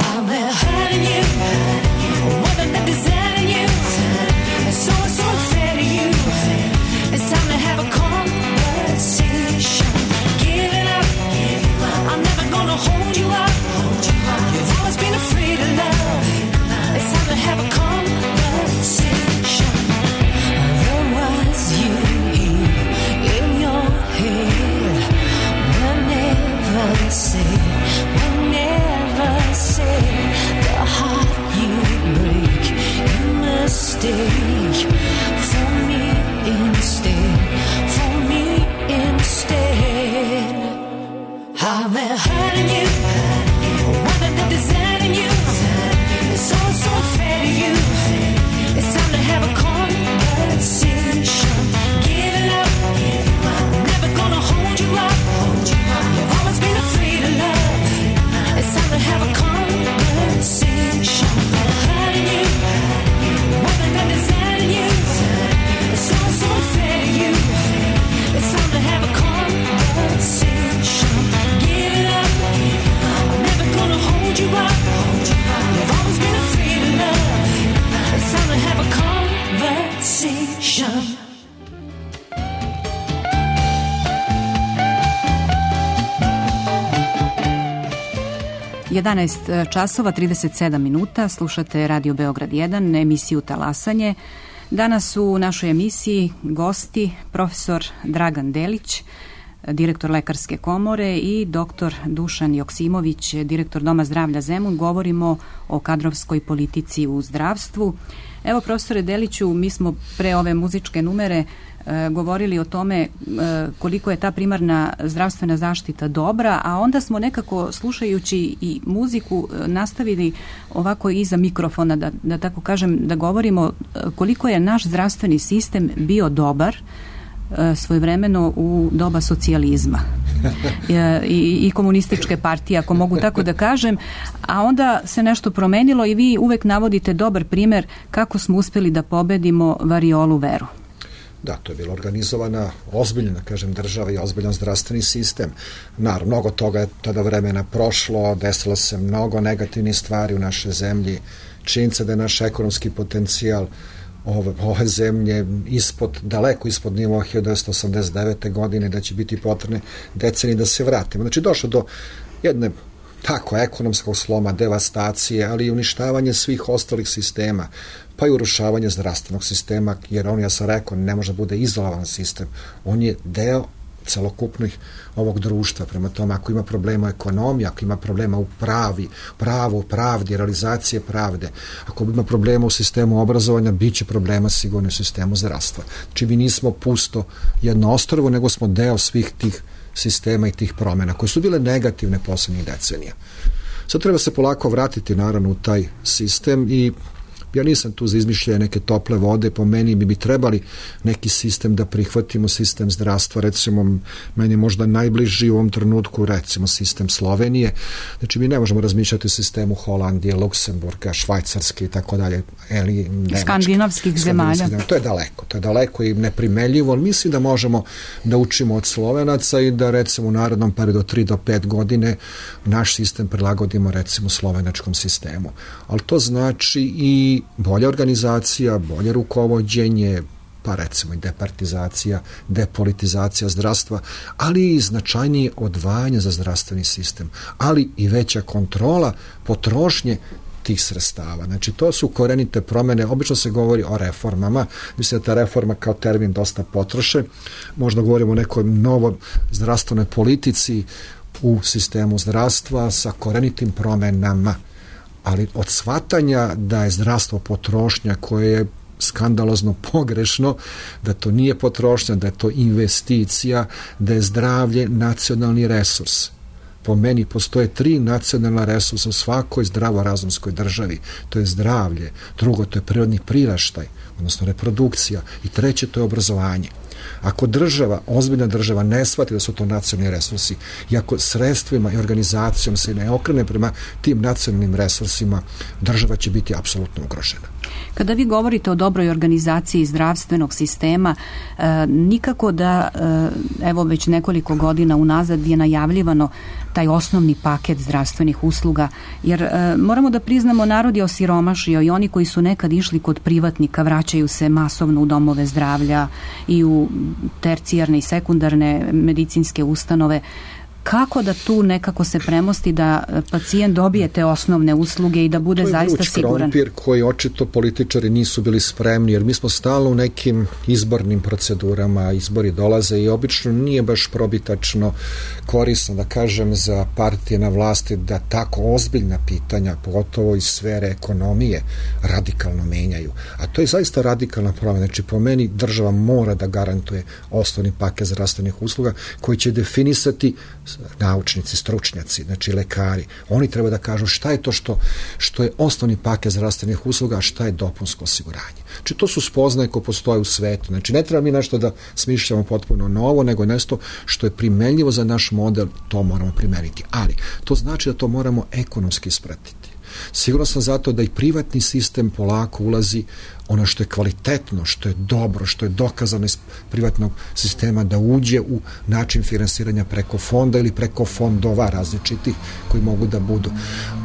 How they're hurting you, more than they're deserting you. It's so unfair to you. It's time to have a conversation. Give it up. I'm never gonna hold you up. You've always been afraid of love. It's time to have a conversation. The words you hear in your head were never said, the heart you break, you mistake for me instead, How they're hurting you, more than they're deserting you. It's so unfair to you. It's time to have a conversation. Give it up. I'm never gonna hold you up. You've always been afraid of love. It's time to have a conversation. They're hurting you, more than they're deserting you. It's so unfair to you. It's time to have a conversation. Give it up. I'm never gonna hold you up. You've always been afraid of love. It's time to have a conversation. 11 časova 37 minuta, slušate Radio Beograd 1, emisiju Talasanje. Danas su u našoj emisiji gosti profesor Dragan Delić, direktor Lekarske komore, i doktor Dušan Joksimović, direktor Doma zdravlja Zemun. Govorimo o kadrovskoj politici u zdravstvu. Evo, profesore Deliću, mi smo pre ove muzičke numere govorili o tome koliko je ta primarna zdravstvena zaštita dobra, a onda smo nekako, slušajući i muziku, nastavili ovako iza mikrofona, da tako kažem, da govorimo koliko je naš zdravstveni sistem bio dobar svojevremeno u doba socijalizma i komunističke partije, ako mogu tako da kažem, a onda se nešto promenilo i vi uvek navodite dobar primer kako smo uspeli da pobedimo variolu veru. Da, to je bila organizovana ozbiljna, kažem, država i ozbiljan zdravstveni sistem. Naravno, mnogo toga je tada vremena prošlo, desilo se mnogo negativnih stvari u našoj zemlji. Činjenica da je naš ekonomski potencijal ove zemlje daleko ispod nivoa 1989. godine, da će biti potrebne decenije da se vratimo. Znači, došlo do jedne tako ekonomskog sloma, devastacije, ali i uništavanje svih ostalih sistema, pa i urušavanje zdravstvenog sistema, jer on, ja sam rekao, ne može da bude izolovan sistem. On je deo celokupnih ovog društva. Prema tome, ako ima problema u ekonomiji, ako ima problema u pravdi, realizacije pravde, ako ima problema u sistemu obrazovanja, bit će problema sigurno u sistemu zdravstva. Znači, mi nismo pusto jedno ostrvo, nego smo deo svih tih sistema i tih promjena, koje su bile negativne poslednjih decenija. Sad treba se polako vratiti, naravno, u taj sistem i ja nisam tu za izmišljanje neke tople vode, po meni bi trebali neki sistem da prihvatimo, sistem zdravstva, recimo, meni je možda najbliži u ovom trenutku, recimo, sistem Slovenije. Znači, mi ne možemo razmišljati o sistemu Holandije, Luksemburga, Švajcarske i tako dalje, skandinavskih zemalja. To je daleko i neprimeljivo. Mislim da možemo da učimo od Slovenaca i da, recimo, u narednom periodu 3 do 5 godine naš sistem prilagodimo, recimo, slovenačkom sistemu. Ali to znači i bolja organizacija, bolje rukovođenje, pa recimo i departizacija, depolitizacija zdravstva, ali i značajnije odvajanje za zdravstveni sistem, ali i veća kontrola potrošnje tih sredstava. Znači, to su korenite promene. Obično se govori o reformama. Mislim da ta reforma kao termin dosta potroše. Možda govorimo o nekoj novoj zdravstvenoj politici u sistemu zdravstva sa korenitim promenama. Ali od shvatanja da je zdravstvo potrošnja koje je skandalozno pogrešno, da to nije potrošnja, da je to investicija, da je zdravlje nacionalni resurs. Po meni postoje 3 nacionalna resursa u svakoj zdravorazumskoj državi. To je zdravlje, drugo to je prirodni priraštaj, odnosno reprodukcija, i treće to je obrazovanje. Ako država, ozbiljna država, ne shvati da su to nacionalni resursi i ako sredstvima i organizacijom se ne okrene prema tim nacionalnim resursima, država će biti apsolutno ugrožena. Kada vi govorite o dobroj organizaciji zdravstvenog sistema, nikako da, evo već nekoliko godina unazad je najavljivano taj osnovni paket zdravstvenih usluga, jer moramo da priznamo, narod je osiromašio i oni koji su nekad išli kod privatnika vraćaju se masovno u domove zdravlja i u tercijarne i sekundarne medicinske ustanove. Kako da tu nekako se premosti da pacijent dobije te osnovne usluge i da bude zaista siguran? To je vruć krompir koji očito političari nisu bili spremni, jer mi smo stalno u nekim izbornim procedurama, izbori dolaze i obično nije baš probitačno korisno, da kažem, za partije na vlasti da tako ozbiljna pitanja, pogotovo iz sfere ekonomije, radikalno menjaju. A to je zaista radikalna promjena. Znači, po meni država mora da garantuje osnovni paket zdravstvenih usluga koji će definisati naučnici, stručnjaci, znači lekari. Oni treba da kažu šta je to što je osnovni paket zdravstvenih usluga, a šta je dopunsko osiguranje. Znači, to su spoznaje koje postoje u svetu. Znači, ne treba mi nešto da smišljamo potpuno novo, nego nešto što je primenljivo za naš model, to moramo primeniti. Ali, to znači da to moramo ekonomski ispratiti. Sigurno sam zato da i privatni sistem polako ulazi ono što je kvalitetno, što je dobro, što je dokazano iz privatnog sistema da uđe u način finansiranja preko fonda ili preko fondova različitih koji mogu da budu.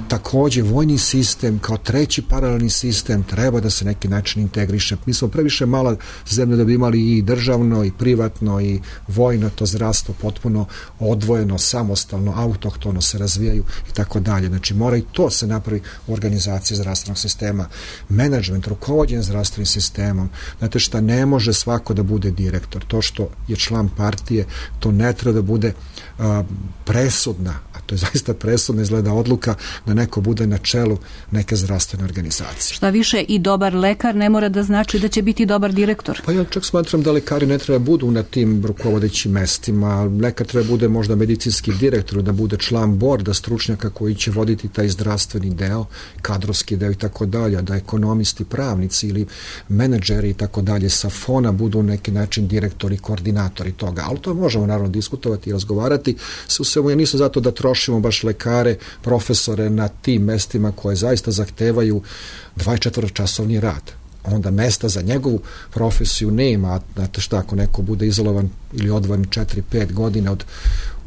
Takođe, vojni sistem kao treći paralelni sistem treba da se neki način integriše. Mi smo previše mala zemlja da bi imali i državno, i privatno, i vojno, to zdravstvo potpuno odvojeno, samostalno, autohtono se razvijaju i tako dalje. Znači, mora i to se napravi u organizaciji zdravstvenog sistema. Menadžment, rukovođenje zdravstvenim sistemom. Znate šta, ne može svako da bude direktor. To što je član partije, to ne treba da bude presudna, a to je zaista presudna izgleda odluka da neko bude na čelu neke zdravstvene organizacije. Šta više, i dobar lekar ne mora da znači da će biti dobar direktor. Pa ja čak smatram da lekari ne treba budu na tim rukovodećim mestima. Lekar treba bude možda medicinski direktor, da bude član borda stručnjaka koji će voditi taj zdravstveni deo, kadrovski deo i tako dalje, da ekonomisti, pravnici ili menadžeri i tako dalje sa fona budu neki način direktori, koordinatori toga. Ali to možemo naravno diskutovati i razgovarati. U svemu, ja nisam zato da trošimo baš lekare, profesore na tim mestima koje zaista zahtevaju 24-časovni rad. Onda mesta za njegovu profesiju nema. Znate šta, ako neko bude izolovan ili odvojen 4-5 godina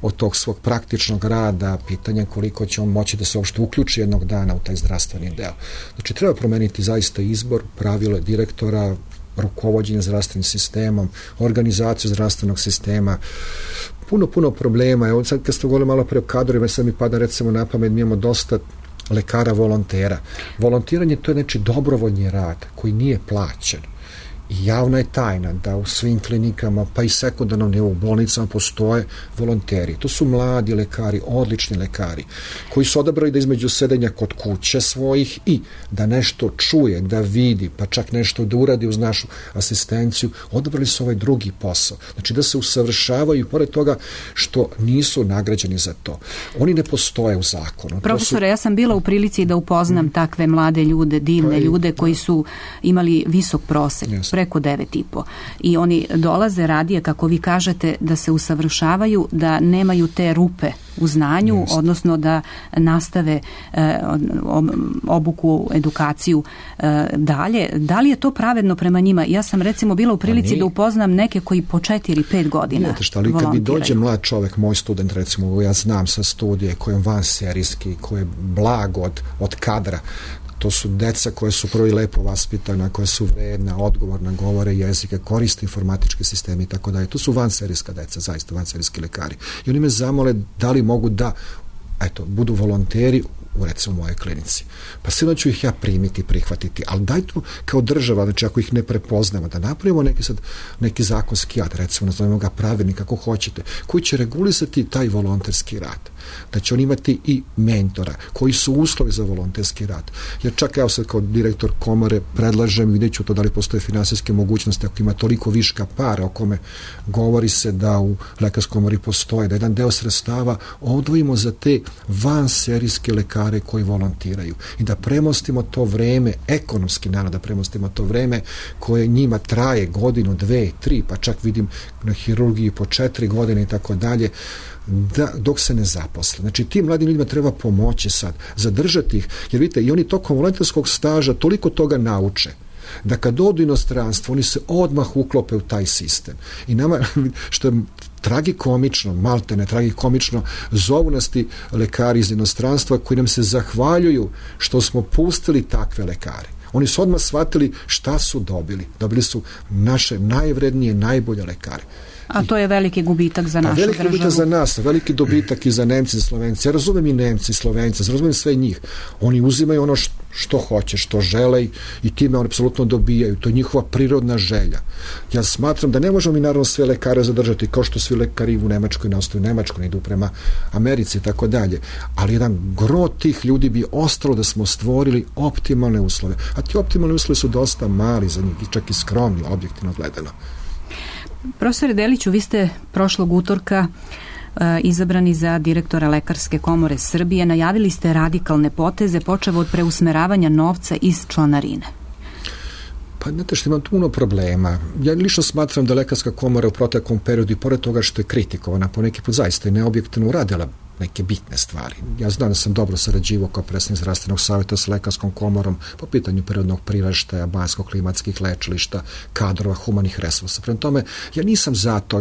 od tog svog praktičnog rada, pitanje koliko će on moći da se uopšte uključi jednog dana u taj zdravstveni deo. Znači, treba promeniti zaista izbor, pravilo direktora, rukovođenje zdravstvenim sistemom, organizaciju zdravstvenog sistema, puno problema. Evo sad kad ste govorili malo pre o kadrovima, sad mi pada recimo na pamet, mi imamo dosta lekara volontera. Volontiranje to je znači dobrovoljni rad koji nije plaćen. I javna je tajna da u svim klinikama, pa i sekundarnom nivou bolnicama postoje volonteri. To su mladi lekari, odlični lekari, koji su odabrali da između sedenja kod kuće svojih i da nešto čuje, da vidi, pa čak nešto da uradi uz našu asistenciju, odabrali su ovaj drugi posao. Znači da se usavršavaju, pored toga što nisu nagrađeni za to. Oni ne postoje u zakonu. Profesore, ja sam bila u prilici da upoznam takve mlade ljude, divne ljude koji su imali visok prosek. Preko 9,5. I oni dolaze radije, kako vi kažete, da se usavršavaju, da nemaju te rupe u znanju, odnosno da nastave obuku, edukaciju dalje. Da li je to pravedno prema njima? Ja sam recimo bila u prilici da upoznam neke koji po 4-5 godina volontiraju. Kad mi dođe mlad čovek, moj student recimo, ja znam sa studije koji je vanserijski, koji je blag od kadra, to su deca koje su prvo i lepo vaspitana, koje su vredna, odgovorna, govore jezike, koriste informatički sistemi i tako dalje. To su vanserijska deca, zaista vanserijski lekari. I oni me zamole da li mogu da budu volonteri u recimo mojoj klinici. Pa sigurno ću ih ja primiti, prihvatiti, ali dajte kao država, znači ako ih ne prepoznamo, da napravimo neki zakonski akt, recimo nazovemo ga pravilnik, kako hoćete, koji će regulisati taj volonterski rad. Da će on imati i mentora, koji su uslovi za volonterski rad. Jer čak ja sad kao direktor komore predlažem, vidjet ću to da li postoje finansijske mogućnosti, ako ima toliko viška para o kome govori se da u lekarskoj komori postoje, da jedan deo sredstava odvojimo za te vanserijske lekare koji volontiraju i da premostimo to vreme, ekonomski naravno da premostimo to vreme koje njima traje godinu, 2, 3, pa čak vidim na hirurgiji po 4 godine i tako dalje, dok se ne zaposle. Znači tim mladim ljudima treba pomoći sad, zadržati ih, jer vidite, i oni tokom volonterskog staža toliko toga nauče da kad odu inostranstvo, oni se odmah uklope u taj sistem. I nama, što je tragikomično, maltene tragikomično, zovu nas ti lekari iz inostranstva koji nam se zahvaljuju što smo pustili takve lekare. Oni su odmah shvatili šta su dobili. Dobili su naše najvrednije, najbolje lekare. A to je veliki gubitak za našu državu. Veliki gubitak za nas, veliki dobitak i za Nemci i Slovenci. Ja razumem i Nemci i Slovenci, razumem sve njih. Oni uzimaju ono što hoće, što žele i time oni apsolutno dobijaju. To je njihova prirodna želja. Ja smatram da ne možemo mi naravno sve lekare zadržati, kao što svi lekari u Nemačkoj ne ostaju u Nemačkoj, ne idu prema Americi i tako dalje. Ali jedan gro tih ljudi bi ostalo da smo stvorili optimalne uslove. A ti optimalne uslove su dosta mali za njih, čak i skromni, objektivno gledano. Profesore Deliću, vi ste prošlog utorka izabrani za direktora Lekarske komore Srbije. Najavili ste radikalne poteze, počev od preusmeravanja novca iz članarine. Pa znate što imam puno problema. Ja lično smatram da Lekarska komora u proteklom periodu i pored toga što je kritikovana po neki put zaista i neobjektivno uradila neke bitne stvari. Ja znam da sam dobro sarađivao kao predsjednik zdravstvenog savjeta sa Lekarskom komorom po pitanju prirodnog priraštaja, banjsko-klimatskih lečilišta, kadrova, humanih resursa. Prema tome, ja nisam za to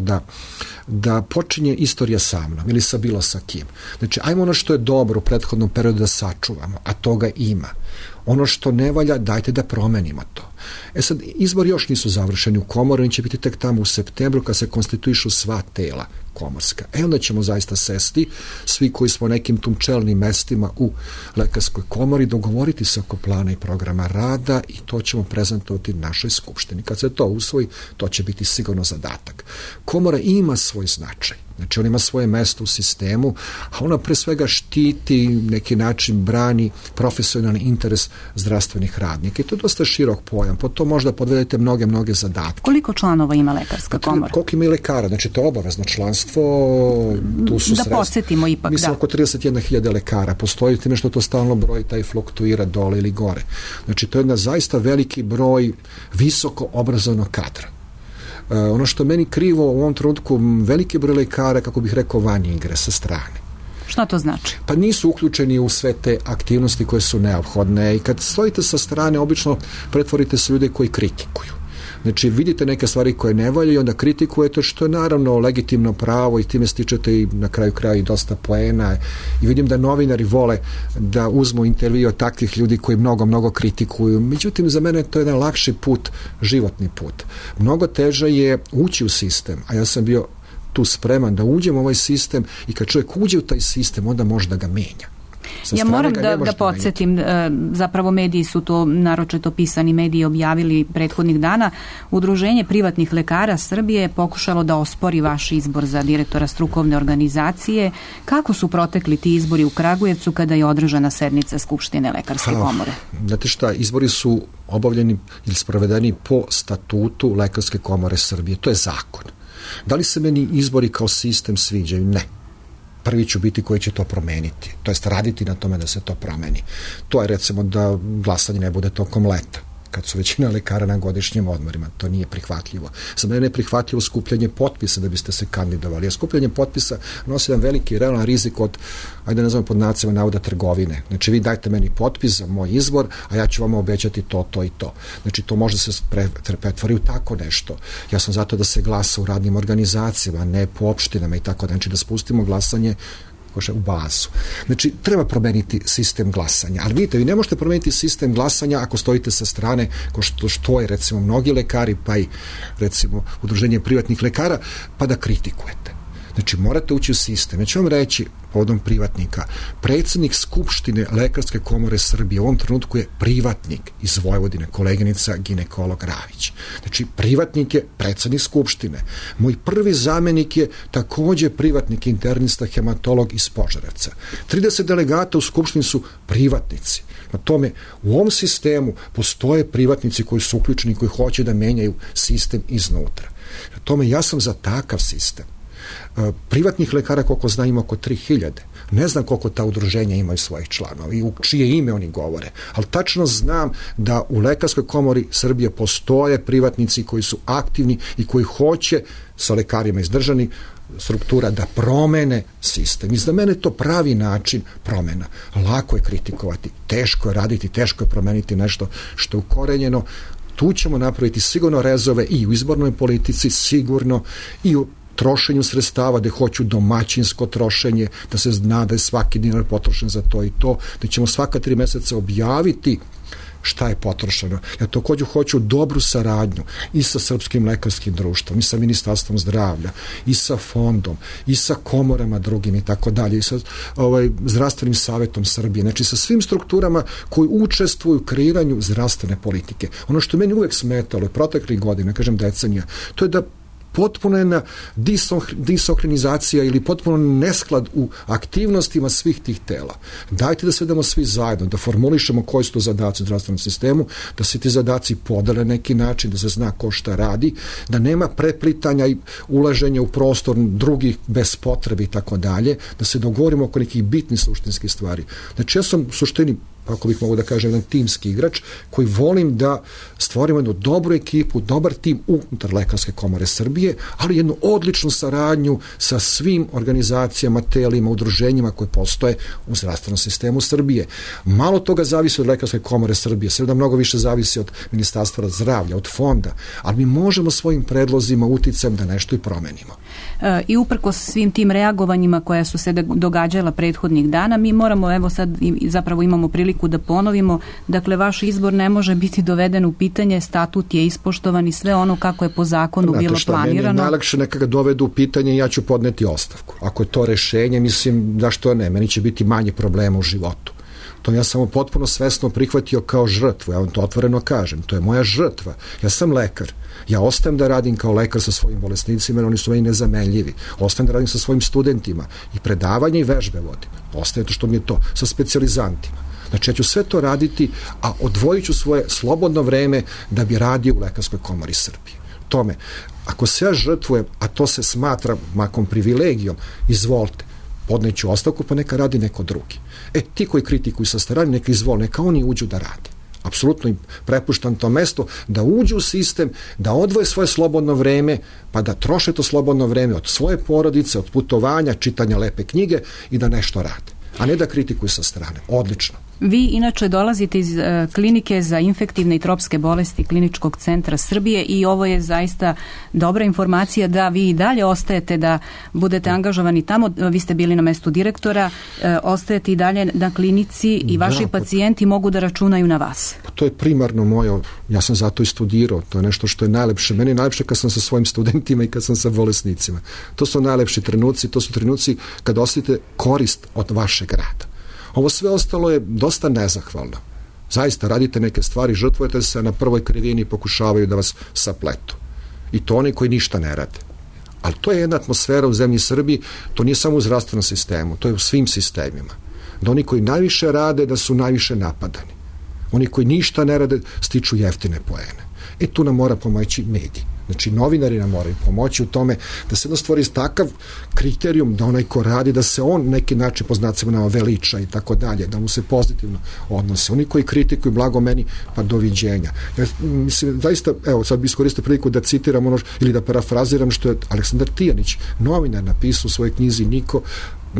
da počinje istorija sa mnom ili sa bilo sa kim. Znači, ajmo ono što je dobro u prethodnom periodu da sačuvamo, a toga ima. Ono što ne valja, dajte da promenimo to. Sad, izbori još nisu završeni u komori, oni će biti tek tamo u septembru kad se konstituišu sva tela komorska. Onda ćemo zaista sesti, svi koji smo nekim tum čelnim mestima u Lekarskoj komori, dogovoriti se oko plana i programa rada i to ćemo prezentovati našoj skupštini. Kad se to usvoji, to će biti sigurno zadatak. Komora ima svoj značaj. Znači, on ima svoje mesto u sistemu, a ona pre svega štiti, neki način brani profesionalni interes zdravstvenih radnika. I to je dosta širok pojam. Po to možda podvedete mnoge zadatke. Koliko članova ima Lekarska komora? Koliko ima i lekara? Znači, to je obavezno članstvo. Tu su da podsjetimo ipak, mislim, oko 31.000 lekara. Postoji time što to stalno broj, taj fluktuira dole ili gore. Znači, to je jedna zaista veliki broj visoko obrazovnog kadra. Ono što je meni krivo u ovom trenutku, veliki broj lekara, kako bih rekao, van igre, sa strane. Šta to znači? Pa nisu uključeni u sve te aktivnosti koje su neophodne i kad stojite sa strane, obično pretvorite se ljude koji kritikuju. Znači, vidite neke stvari koje ne valjaju i onda kritikujete, što je naravno legitimno pravo i time stičete i na kraju kraja i dosta poena. I vidim da novinari vole da uzmu intervju od takvih ljudi koji mnogo kritikuju. Međutim, za mene to je jedan lakši put, životni put. Mnogo teže je ući u sistem, a ja sam bio tu spreman da uđem u ovaj sistem i kad čovjek uđe u taj sistem, onda može da ga menja. Ja moram da podsjetim, zapravo mediji su to, naročito pisani mediji, objavili prethodnih dana. Udruženje privatnih lekara Srbije je pokušalo da ospori vaš izbor za direktora strukovne organizacije. Kako su protekli ti izbori u Kragujevcu kada je održana sednica Skupštine Lekarske komore? Znate šta, izbori su obavljeni ili sprovedeni po statutu Lekarske komore Srbije. To je zakon. Da li se meni izbori kao sistem sviđaju? Ne. Prvi ću biti koji će to promeniti. To jest raditi na tome da se to promeni. To je recimo da glasanje ne bude tokom leta, kad su većina lekara na godišnjim odmorima. To nije prihvatljivo. Za mene je prihvatljivo skupljanje potpisa da biste se kandidovali. A skupljanje potpisa nosi jedan veliki realan rizik od, ajde nazovem pod znacima navoda, trgovine. Znači, vi dajte meni potpis za moj izbor, a ja ću vam obećati to i to. Znači, to može se pretvori u tako nešto. Ja sam zato da se glasa u radnim organizacijama, ne po opštinama i tako. Znači, da spustimo glasanje u bazu. Znači, treba promeniti sistem glasanja. Ali vidite, vi ne možete promeniti sistem glasanja ako stojite sa strane, ko što je recimo mnogi lekari, pa i recimo udruženje privatnih lekara, pa da kritikujete. Znači, morate ući u sistem. Ja ću vam reći, povodom privatnika, predsjednik Skupštine Lekarske komore Srbije u ovom trenutku je privatnik iz Vojvodine, koleginica ginekolog Ravić. Znači, privatnik je predsjednik Skupštine. Moj prvi zamenik je također privatnik, internista, hematolog iz Požarevca. 30 delegata u Skupštini su privatnici. Na tome, u ovom sistemu postoje privatnici koji su uključeni, koji hoće da menjaju sistem iznutra. Na tome, ja sam za takav sistem. Privatnih lekara, koliko znam, ima oko 3000. Ne znam koliko ta udruženja imaju svojih članova i u čije ime oni govore, ali tačno znam da u Lekarskoj komori Srbije postoje privatnici koji su aktivni i koji hoće sa lekarima iz državnih struktura da promene sistem. I za mene to pravi način promena. Lako je kritikovati, teško je raditi, teško je promeniti nešto što je ukorenjeno. Tu ćemo napraviti sigurno rezove i u izbornoj politici, sigurno i u trošenju sredstava, da hoću domaćinsko trošenje, da se zna da je svaki dinar potrošen za to i to, da ćemo svaka 3 meseca objaviti šta je potrošeno. Ja također hoću dobru saradnju i sa Srpskim lekarskim društvom, i sa Ministarstvom zdravlja, i sa fondom, i sa komorama drugim i tako dalje, i sa Zdravstvenim savjetom Srbije. Znači, sa svim strukturama koji učestvuju u kreiranju zdravstvene politike. Ono što meni uvek smetalo proteklih godina, kažem decenija, to je da potpuno jedna disokrinizacija ili potpuno nesklad u aktivnostima svih tih tela. Dajte da sedemo svi zajedno, da formulišemo koji su to zadaci u zdravstvenom sistemu, da se ti zadaci podele neki način, da se zna ko šta radi, da nema preplitanja i ulaženja u prostor drugih bez potrebe i tako dalje, da se dogovorimo oko nekih bitnih suštinskih stvari. Znači, ja sam u suštini, ako bih mogu da kažem, jedan timski igrač koji volim da stvorimo jednu dobru ekipu, dobar tim unutar Lekarske komore Srbije, ali jednu odličnu saradnju sa svim organizacijama, telima, udruženjima koje postoje u zdravstvenom sistemu Srbije. Malo toga zavisi od Lekarske komore Srbije, sve mnogo više zavisi od Ministarstva zdravlja, od fonda, ali mi možemo svojim predlozima, uticajem da nešto i promenimo. I uprkos svim tim reagovanjima koja su se događala prethodnih dana, mi moramo, evo sad zapravo imamo priliku da ponovimo, dakle vaš izbor ne može biti doveden u pitanje, statut je ispoštovan i sve ono kako je po zakonu bilo planirano. Meni je najlakše neka ga dovedu u pitanje i ja ću podneti ostavku. Ako je to rešenje, mislim da što ne, meni će biti manje problema u životu. To ja sam potpuno svesno prihvatio kao žrtvu, ja vam to otvoreno kažem, to je moja žrtva. Ja sam lekar, ja ostajem da radim kao lekar sa svojim bolesnicima, jer oni su meni nezamenljivi. Ostajem da radim sa svojim studentima i predavanje i vežbe vodim. Ostaje to što mi je to, sa specijalizantima. Znači, ja ću sve to raditi, a odvojit ću svoje slobodno vreme da bi radio u Lekarskoj komori Srbije. Tome, ako se ja žrtvujem, a to se smatra makom privilegijom, izvolite, podneću ostavku, pa neka radi neko drugi. Ti koji kritikuju sa strane, neka izvole, neka oni uđu da rade. Apsolutno im prepuštam to mesto da uđu u sistem, da odvoje svoje slobodno vreme, pa da troše to slobodno vreme od svoje porodice, od putovanja, čitanja lepe knjige i da nešto rade, a ne da kritikuju sa strane. Odlično. Vi inače dolazite iz klinike za infektivne i tropske bolesti Kliničkog centra Srbije i ovo je zaista dobra informacija da vi i dalje ostajete da budete angažovani tamo. Vi ste bili na mestu direktora, ostajete i dalje na klinici i vaši pacijenti mogu da računaju na vas. To je primarno moje, ja sam zato i studirao, to je nešto što je najlepše. Meni je najlepše kad sam sa svojim studentima i kad sam sa bolesnicima. To su najlepši trenuci, to su trenuci kad osjetite korist od vašeg rada. Ovo sve ostalo je dosta nezahvalno. Zaista radite neke stvari, žrtvujete se, na prvoj krivini pokušavaju da vas sapletu. I to oni koji ništa ne rade. Ali to je jedna atmosfera u zemlji Srbiji, to nije samo u zdravstvenom sistemu, to je u svim sistemima. Da oni koji najviše rade, da su najviše napadani. Oni koji ništa ne rade, stiču jeftine poene. Tu nam mora pomoći mediji. Znači, novinari nam moraju pomoći u tome da se stvori takav kriterijum da onaj ko radi, da se on neki način po znacima nama veliča i tako dalje, da mu se pozitivno odnose. Oni koji kritikuju, blago meni, pa doviđenja. Ja, mislim, zaista, evo, sad bi iskoristio priliku da citiram ono, ili da parafraziram što je Aleksandar Tijanić, novinar, napisao u svojoj knjizi Niko,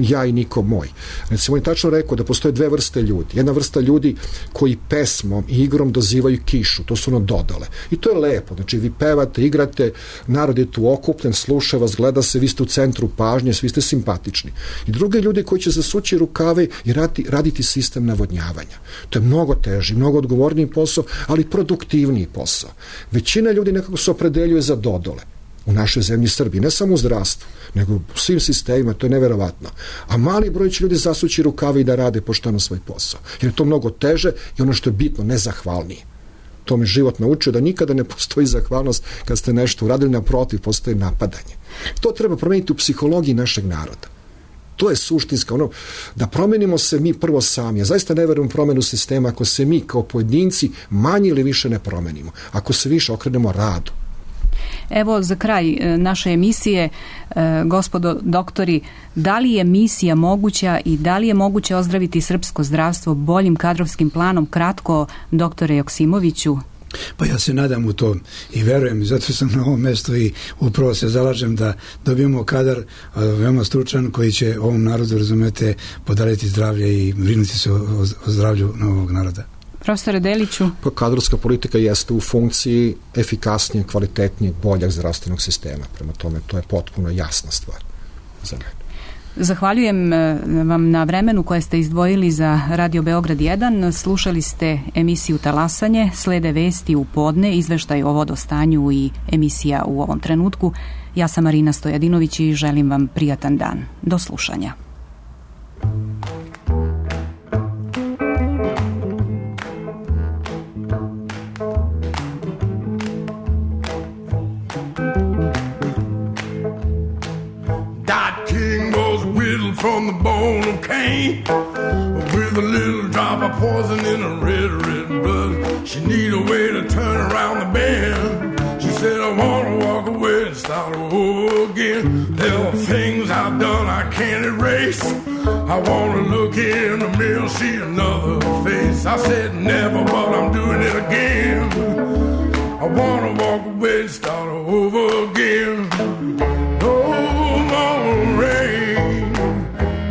ja i niko moj. Recimo, on je tačno rekao da postoje dve vrste ljudi. Jedna vrsta ljudi koji pesmom i igrom dozivaju kišu, to su ono dodale. I to je lepo. Znači, vi pevate, igrate, narod je tu okupljen, sluša vas, gleda se, vi ste u centru pažnje, svi ste simpatični. I druge ljudi koji će zasući rukave i raditi sistem navodnjavanja. To je mnogo teži, mnogo odgovorniji posao, ali produktivniji posao. Većina ljudi nekako se opredeljuje za dodole. u našoj zemlji Srbiji, ne samo u zdravstvu, nego u svim sistemima, to je neverovatno. A mali broj će ljudi zasući rukave i da rade pošteno svoj posao. Jer je to mnogo teže i ono što je bitno, nezahvalnije. To me život naučio da nikada ne postoji zahvalnost kad ste nešto uradili, naprotiv, postoji napadanje. To treba promeniti u psihologiji našeg naroda. To je suštinska, da promenimo se mi prvo sami. Ja zaista ne verujem u promenu sistema ako se mi kao pojedinci manje ili više ne promenimo. Ako se više okrenemo radu. Evo za kraj naše emisije, gospodo doktori, da li je misija moguća i da li je moguće ozdraviti srpsko zdravstvo boljim kadrovskim planom? Kratko, doktore Joksimoviću. Pa ja se nadam u to i verujem i zato sam na ovom mjestu i upravo se zalažem da dobijemo kadar veoma stručan koji će ovom narodu, razumete, podariti zdravlje i brinuti se o zdravlju novog naroda. Profesore Deliću. Pa kadrovska politika jeste u funkciji efikasnijeg, kvalitetnijeg, boljeg zdravstvenog sistema. Prema tome, to je potpuno jasna stvar za mene. Zahvaljujem vam na vremenu koje ste izdvojili za Radio Beograd 1. Slušali ste emisiju Talasanje, slede vesti u podne, izveštaj o vodostanju i emisija u ovom trenutku. Ja sam Marina Stojadinović i želim vam prijatan dan. Do slušanja. From the bone of Cain, with a little drop of poison in her red, red blood. She need a way to turn around the bend. She said, I want to walk away and start over again. There are things I've done I can't erase. I want to look in the mirror, see another face. I said never, but I'm doing it again. I want to walk away and start over again. No more rain.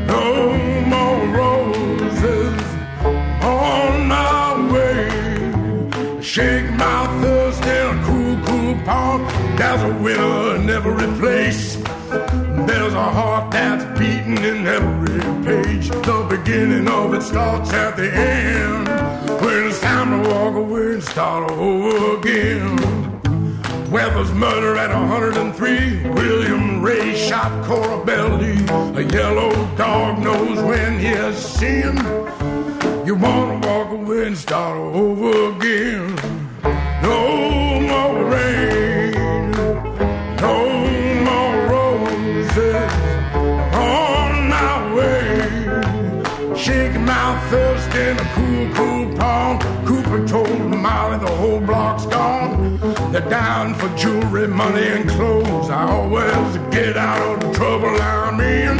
No more roses on my way. Shake my thirst in a cool, cool pond. There's a winner in every place. There's a heart that's beating in every page. The beginning of it starts at the end. When it's time to walk away and start over again. Weather's murder at 103. William Ray shot Cora Belly. A yellow dog knows when he has sinned. You wanna walk away and start over again. No more rain, no more roses on my way. Shaking my thirst in a cool, cool pond. Cooper told Molly the whole block's gone. They're down for jewelry, money, and clothes. I always get out of the trouble I'm in.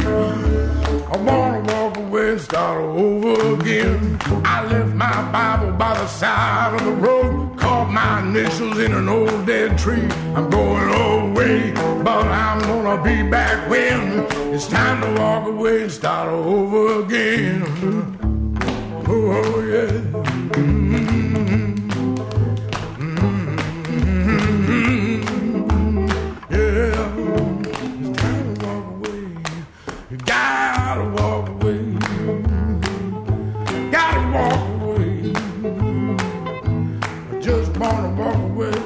I wanna walk away and start over again. I left my Bible by the side of the road, carved my initials in an old dead tree. I'm going away, but I'm gonna be back when it's time to walk away and start over again. Oh yeah. Gotta walk away. Gotta walk away. I just wanna walk away.